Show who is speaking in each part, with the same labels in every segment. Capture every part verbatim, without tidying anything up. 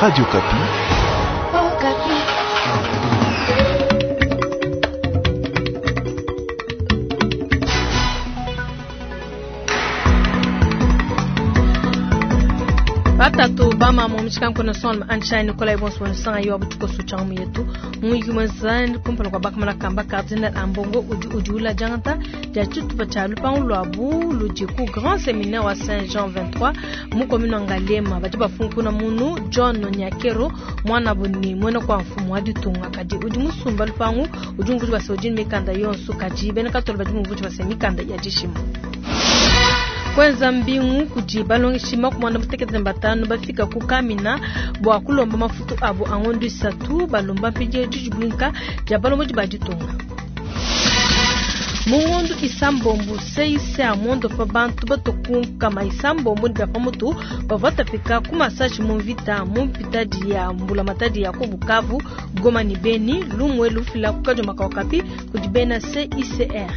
Speaker 1: Radio Okapi.
Speaker 2: Oh,
Speaker 3: Batatu bama mu mishika son anshai Nikolai Bonso sanga yo abutuko sucha mu yetu mu yuma zan kumpala kwa bakamala kamba Cardinal Ambongo udi udi ula jangata dia tshitupa tshia lupangu lwabu ludi ku Grand Séminaire wa Saint Jean vingt-trois mu commune Ngaliema badi bafunkuna munu John Nyakero mwana buni mwena kwa mfumu wa ditunga kadi udi musumba lupangu udi mvuji basa udi mikanda yonso kadi bena katolo badi mvuji basa mikanda ya dishima. Kwenza mbingu kudi balongeshi makumi mutekete na batanu bafika ku Kamina bua kulomba mafutu abo angondo isatu balomba mpindieu didibwinka dia balomodi ba ditunga. Mungondo isambombo seise amondo pa bantu batokunkama isambombo ndi bia pamutu bavua batapika ku masashi mu mvita mu mpitadi ya mbulamatadi ya ku Bukavu, Goma ni Beni, lumwe lufila ku Kadiomaka Okapi kudi bena C I C R.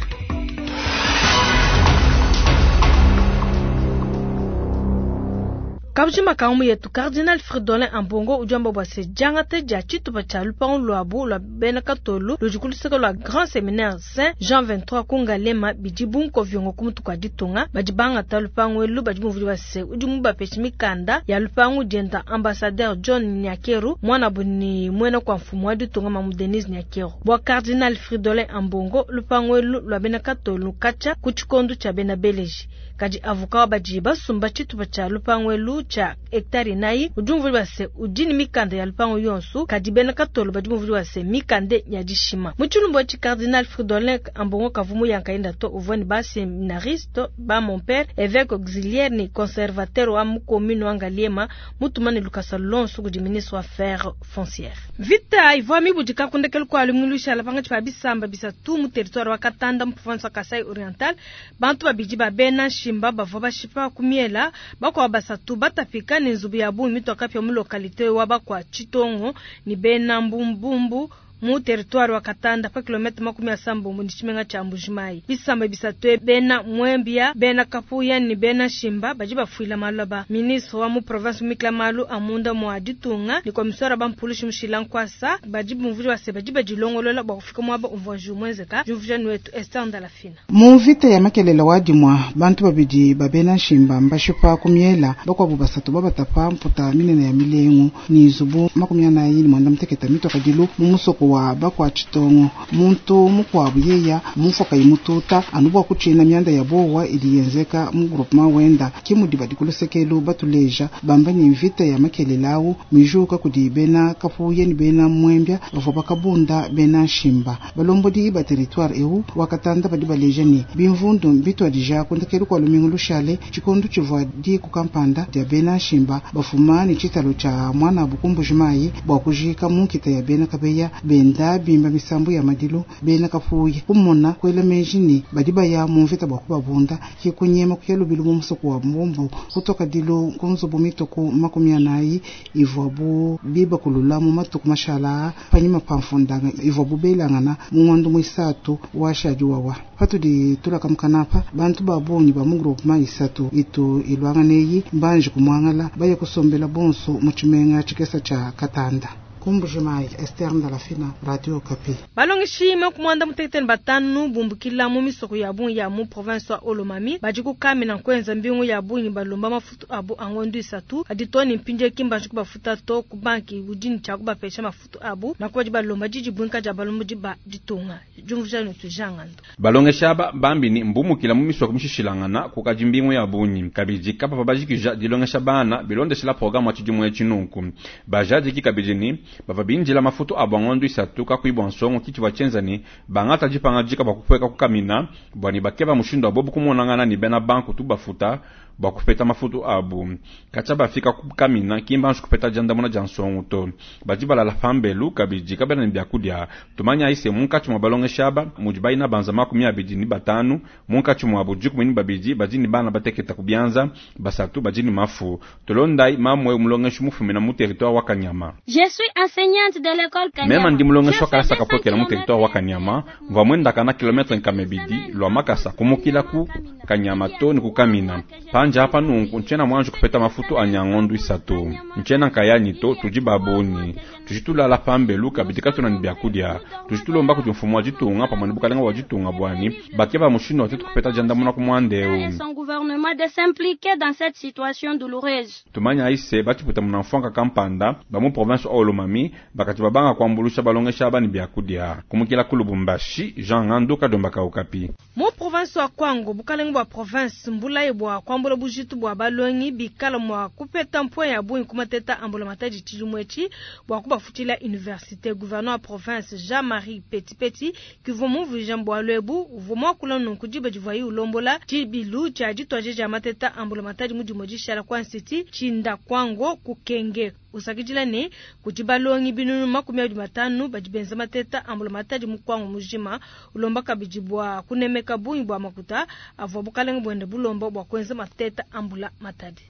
Speaker 3: Kabujima kaumu yetu Cardinal Fridolin Ambongo ujamba bwa se jangate dia tshitupa tshia lupangu lwabu lwa bena katolu ludi ku luseke lwa Grand Séminaire Saint Jean vingt-trois ku Ngaliema bidi bunkoviongo ku mutu kua ditunga badi bangata lupangu elu badi muvudi bua se udi mubapeshe mikanda ya lupangu dienda ambassadeur John Nyakeru mwana buni mwena kwa mfumu wa ditunga Mamu Denise Nyakeru. Bua Cardinal Fridolin Ambongo lupangu elu lwa bena katolu katshia ku tshikondu tshia bena Beleji. Kadi avocat badi basumba tshitupa tshia lupangu elu tshia hectare inayi udi muvudi bua se udi ni mikanda ya lupangu yonso kadi bena katolo badi muvudi bua se mikanda ya dishima. Mu tshilumbu tshi Cardinal Fridolin Ambongo kavumu yankaenda to uvua ni ba séminariste ba mon père évêque auxiliaire ni conservateur wa mu commune wa Ngaliema mutumane lukasa lonso kudi ministre wa affaires foncières. Vita ivua mibudika kundekelu kua lumingu lushala pangatshi pa bisamba bisatu mu territoire wa Katanda mu province wa Kasai Oriental bantu babidi ba bena Shimba bavua bashipa ku miela bakuabu basatu batapika ni nzubu ya bungi mitoka pia mu localité wa bakwa Chitongo ni bena Mbumbumbu mu territoire wa Katanda pa kilomètre makumi asambombo ni tshimenga tshia Mbujimayi. Bisamba bisatu bena Mwembia, bena Kapuya ni bena Shimba badi bafuila maloba. Ministre wa mu province Mikla Malu amunda mwa ditunga ni commissaire ba mpulushi Mushila Nkwasa badi bumvuje base badi badilongolola bua kufika mwaba umvua jumwenzeka jumvuje nwetu Esther Ndalafina.
Speaker 4: Mu vita ya makelela wa dimwa bantu babidi ba bena Shimba mbashipa kumiela bakwabu basatu babatapa mputa minene ya milengu ni nzubu makumi anayi ni mwanda muteketa mitoka dilu mu musoko wa bakwa Chitongo muntu mukwabu yeya mufoka imututa anubwa kuchina myanda ya bowa iliyenzeka mu groupement wenda kimudi badi kulusekelu batuleja bamba ni mvita ya makelelawu mijuka kudi bena Kapuye ni bena Mwembya bavua bakabunda bena Shimba balombodi ba territoire eu wakatanda badi baleja ni bimvundu mbitwadija kundekelu kwa lumingu lushale tshikondu tshivua di kukampanda dia bena Shimba bafuma ni tshitalo tsha mwana bukumbujimayi bwa kujika munkita ya bena Kabeya benda bimba misambu ya madilu bena Kapuye kumona kwela meji ni badi baya mu mvita bwa kubabunda kikunyema kuya lubilu mu musoko wa mbumbu kutoka dilu kunzubu mituku makumi anayi ivua bu biba kulula mu matuku mashala panyima pa mfundanga ivua bu belangana mu ngondo mwisatu wa shadi wawa patudi tulaka mukanapa bantu ba bungi ba mu groupement isatu itu ilwanganeyi mbanje kumwangala baye kusombela bonso mu tshimenga tshikesa tsha Katanda. Kumbujimayi Esther Ndalafina, Radio Okapi.
Speaker 3: Balongeshi makumwanda mutekete batanu bumbukila mu misoko ya bungi ya mu province wa Haut-Lomami badi kukamina kwenza mbingu ya bungi balomba mafutu abo angondo isatu adi toni mpinje kimba kubafuta to ku banki udini tshia kubapesha mafutu abo na kubadi balomba didi bwinka dia balomba ba ditunga jumvuja netu jangando.
Speaker 5: Balongeshi aba bambini mbumukila mu misoko mishishilangana kukaji mbingu ya bungi kabidi kapa bajikija dilongesha bana bilondeshela programme wa tshidimu etshi bajadiki kabidi ni bava binjila mafutu abo ngondo isatu kakuibwa nsongo kiti bachenza ni bangata jipanga jika bakupweka kukamina bwani bakeba mushindo abobu kumonangana ni bena banku tu bafuta bakupeta mafutu abu kacha bafika kukamina kimba nshu kupeta jandamuna ja nsongo to badi balala pambelu kabidi kabena ni byakudia tumanya ise munkachi mwa balongesha aba mudi baina banza makumi abidi ni batanu munkachi mwa abu dikumi ni babidi badi ni bana bateketa kubyanza basatu badi ni mafu tolondai mamwe mulongesha mufumina mu territoire wa Kanyama.
Speaker 6: Je suis enseignante de l'école Kanyama.
Speaker 5: Mema ndi mulongesha wa kalasa kapokela mu territoire wa Kanyama mva mwenda kana kilometre nkamebidi lwa makasa kumukila ku Kanyama to ni kukamina Pandi apa nunku ntshiena muanji kupeta mafutu anyi a ngondu isatu. Ntshiena nkayanyi to, tudi ba bungi. Tudi tulala pambelu kabidi katuena ne biakudia. Tudi tulomba kudi mfumu wa ditunga pamue ne bukalenga bua ditunga bua ne bakeba mushindu wa tuetu kupeta diandamuna ku muanda eu.
Speaker 6: Et son gouvernement de s'impliquer dans cette situation douloureuse.
Speaker 5: Tumanya se batshiputa munamfuanka kampanda ba mu province wa Haut-Lomami bakati babanga kuambulusha balongesha aba ne biakudia. Kumukila ku Lubumbashi, Jean Ngandu Kadomba ka Okapi.
Speaker 3: Mu province wa Kwango, bukalenga bua province mbulaye bua kuambula bujitu bua balongi bikala mua kupeta mpwe ya bungi ku mateta a mbulamatadi tshidimu etshi bua kubafutshila université. Gouverneur wa province Jean-Marie Petipeti kivua mumvuija bualu ebu uvua muakula nunku diba divuaye ulombola tshibilu tshia dituadija dia mateta a mbulamatadi mu dimue dishala ku institut Tshinda Kwango ku Kenge. Usakidila ne kudi balongi binunu makumi abidi matanu badi benza mateta a mbulamatadi mu Kwango mujima. Ulomba kabidi bua kunemeka bungi bua makuta avua bukalenga buende bulomba bua kuenza mateta a mbulamatadi.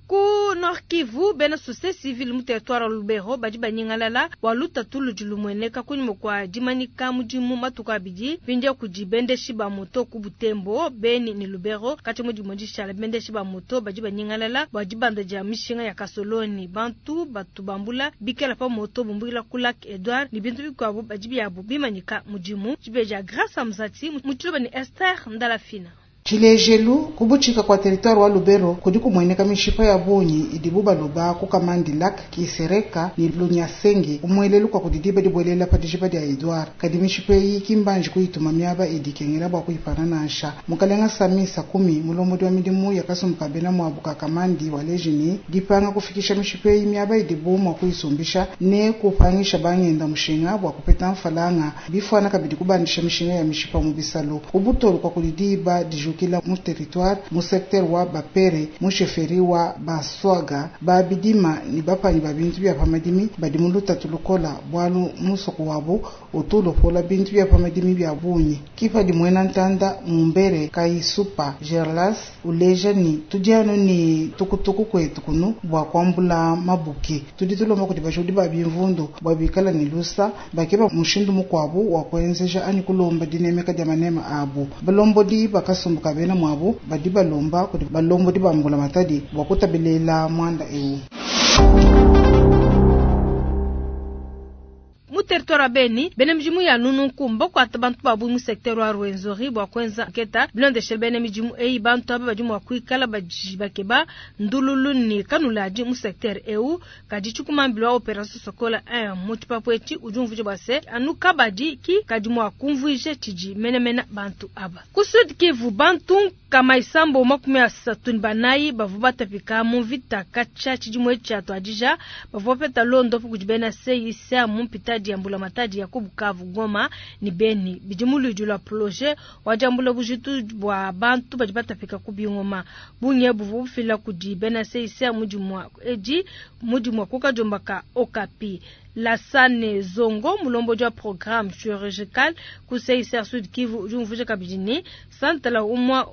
Speaker 3: Ku Nord Kivu, bena société civile mu territoire wa Lubero badi banyingalala bua lutatu ludi lumueneka kunyima kua dimanyika mudimu matuku abidi mpindieu kudi bendeshi ba moto ku Butembo, Beni ne Lubero. Kati mu dimue dishala bendeshi ba moto badi banyingalala bua dibanda dia mishinga ya kasoloni. Bantu batu bambula bikala pa moto bumbukila ku Lac Edouard ne bintu bikuabu badi biabu bimanyika mudimu. Tshibeja Grâce Amzati mu Tshiluba ne Esther Ndalafina.
Speaker 4: Tshilejelu kubutshika kwa territoire wa Lubero kudi kumueneka mishipa ya bungi idibu baloba ku Kamandi Lac Kisereka ni Lunyasenge umwelelu kwa kudidiba dibuelela pa dijiba dia Edouard. Kadi mishipa eyi kimbanji kuyituma miaba idi ikengela bua kuyipana nansha. Mukalenga Sami Sakumi mulombodi wa midimu ya kasumbu ka bena muabu ka Kamandi waleji ni dipanga kufikisha mishipa eyi miaba idibu mua kuyisumbisha ne kupangisha bangenda mushinga bua kupeta mfalanga bifuana kabidi kubandisha mishinga ya mishipa mu bisalo ubutolu kwa kudidiba diju kila mu territoire mu secteur wa Bapere mu chefferie wa Baswaga babidima ni bapanyi ba bintu bya pamadimi badi mu lutatu lukola bwalu musoko wabo otulopola bintu bya pamadimi bya bunyi kipa di mwena ntanda mumbere kaisupa Gerlas uleja ni tudiano ni tukutuku kwetu kunu bwa kwambula mabuki tudi tulomba kuti bashudi ba bimvundu bwa bikala ni lusa bakeba mushindu mukwabu wa kuenzeja ani kulomba dinemeka dia manema abu balombodi bakasumbu kabena mwabu badi balomba kuti balombodi bambula matadi bwa kutabelela mwanda eu.
Speaker 3: Mu territoire wa Beni, bena midimu ya nununku mbakuata bantu babu mu secteur wa Rwenzori bua kuenza nketa bilondeshele bena midimu eyi bantu aba badi mua kuikala badi bakeba ndululu ne kanuladi mu secteur eu. Kadi tshikumambila wa opération Sokola un mu tshipapu etshi udi umvuija bua se anu kabadi ki kadi mua kumvuija tshidi menemene bantu aba. Ku Sud Kivu bantu nkama isambo makumi asatu ne banayi bavua batapika mu mvita katshia tshidimu etshi tshia tuadija bavua bapeta londopu kudi bena C I C mu mpitadi ya mbulamatadi ya ku Bukavu, Goma ne Beni. Bidi mu luidi lua projet wa diambula bujitu bua bantu badi batapika ku bingoma. Bungi buvua bufila kudi bena C I C mu dimua edi mu dimua ku kadiomba ka Okapi. Lasane Zongo mulombodi wa programme chirurgical ku C I C Sud Kivu udi umvuija kabidi ne santala umua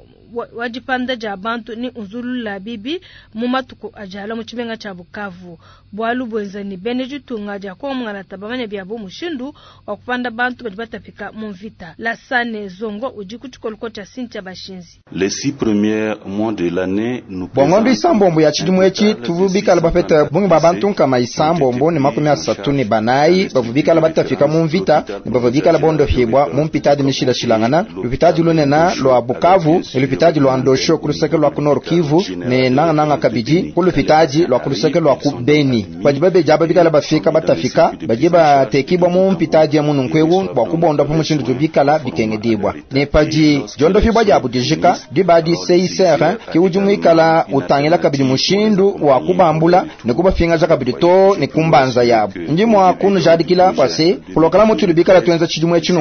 Speaker 3: wa dipanda dia bantu ni unzulula bibi mu matuku ajala mu tshimenga tshia Bukavu. Bualu buenza ni bene ditunga dia kongalata bamanya biabo mushindu wa kupanda bantu badi batapika mu mvita. Lasane Zongo udi ku tshikoloko tshia Cynthia Bashinzi.
Speaker 1: Les six premiers mois de l'année nous
Speaker 7: bongondo isambombo ya tshidimu etshi tuvubikala bapeta bungi ba bantu nkama isambombo ne makumi asatu ne banayi bavubikala batafika mu mvita ne bavubikala bondohibwa mu mpitadi mishilashilangana lupitadi lunena lwa Bukavu ne lupitadi lwa Ndosho ku luseke lwa ku Nord Kivu ne nangananga kabidi ku lupitadi lwa ku luseke lwa ku Beni. Badi babeja babikala bafika batafika badi batekibwa mu mpitadi ya mununkweu bua kubonda pa mushindu tubikala bikengedibwa ne padi diondofibwa diabu dijika dibadi C I C R ki udi muikala utangila kabidi mushindu wa kubambula ne kubafingaja kabidi to ne kumbanza yabu. Ndi mwa kunujadikila kwa se kulokala mutu lubikala tuenza tshidimu etshi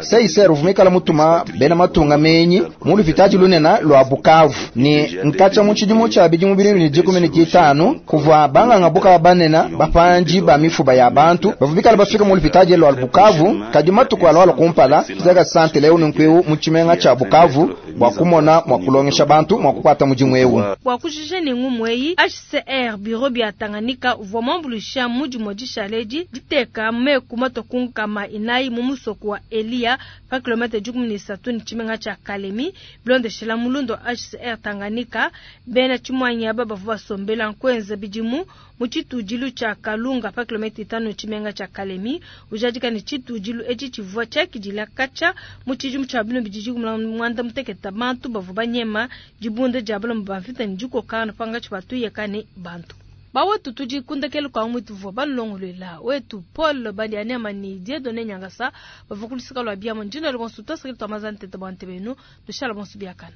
Speaker 7: C I C R uvumikala mutuma bena matunga menyi mu lupitadi lunena lwa Bukavu ne nkacha mu tshidimu tshia bidimu bibili ne dikumi ne ditanu kuvua banganga buka banena bapanji ba mifuba ya bantu bavubikala bafika mu lupitadi lwa Bukavu kadi matuku alwala kumpala zaka sante leo nunkweu mu tshimenga tshia Bukavu bua kumona mua kulongesha bantu mua kukuata mudimu eu.
Speaker 3: Bua kujija ne ngumu eyi, H C R bureau bia Tanganyika uvua muambuluisha mu dimue dishale edi diteka meku matue ku nkama inayi mu musoko wa Eliya pa kilomètre dikumi ne isatu ne tshimenga tshia Kalemi. Bilondeshela mulundo wa H C R Tanganyika, bena tshimuanyi aba bavua basombela nkuenza bidimu mu tshitudilu tshia Kalunga pa kilomètre itanu ne tshimenga tshia Kalemi. Ujadika ne tshitudilu etshi tshivua tshiakidila katshia mu tshidimu tshia binu bidi muanda mutekete bantu bavua banyema dibunda dia balomo ba mvita ne dikokana pangatshi batuyeka ne bantu bawetu. Tudi kundekelu kwa mwitu vua balongolwela wetu Paul Badianema ni Dieudonné Nyangasa bavua kulusika lwa biamo. Ndino bonso twasakili twamazana tete bwa ntebenu tushala bonso biakana.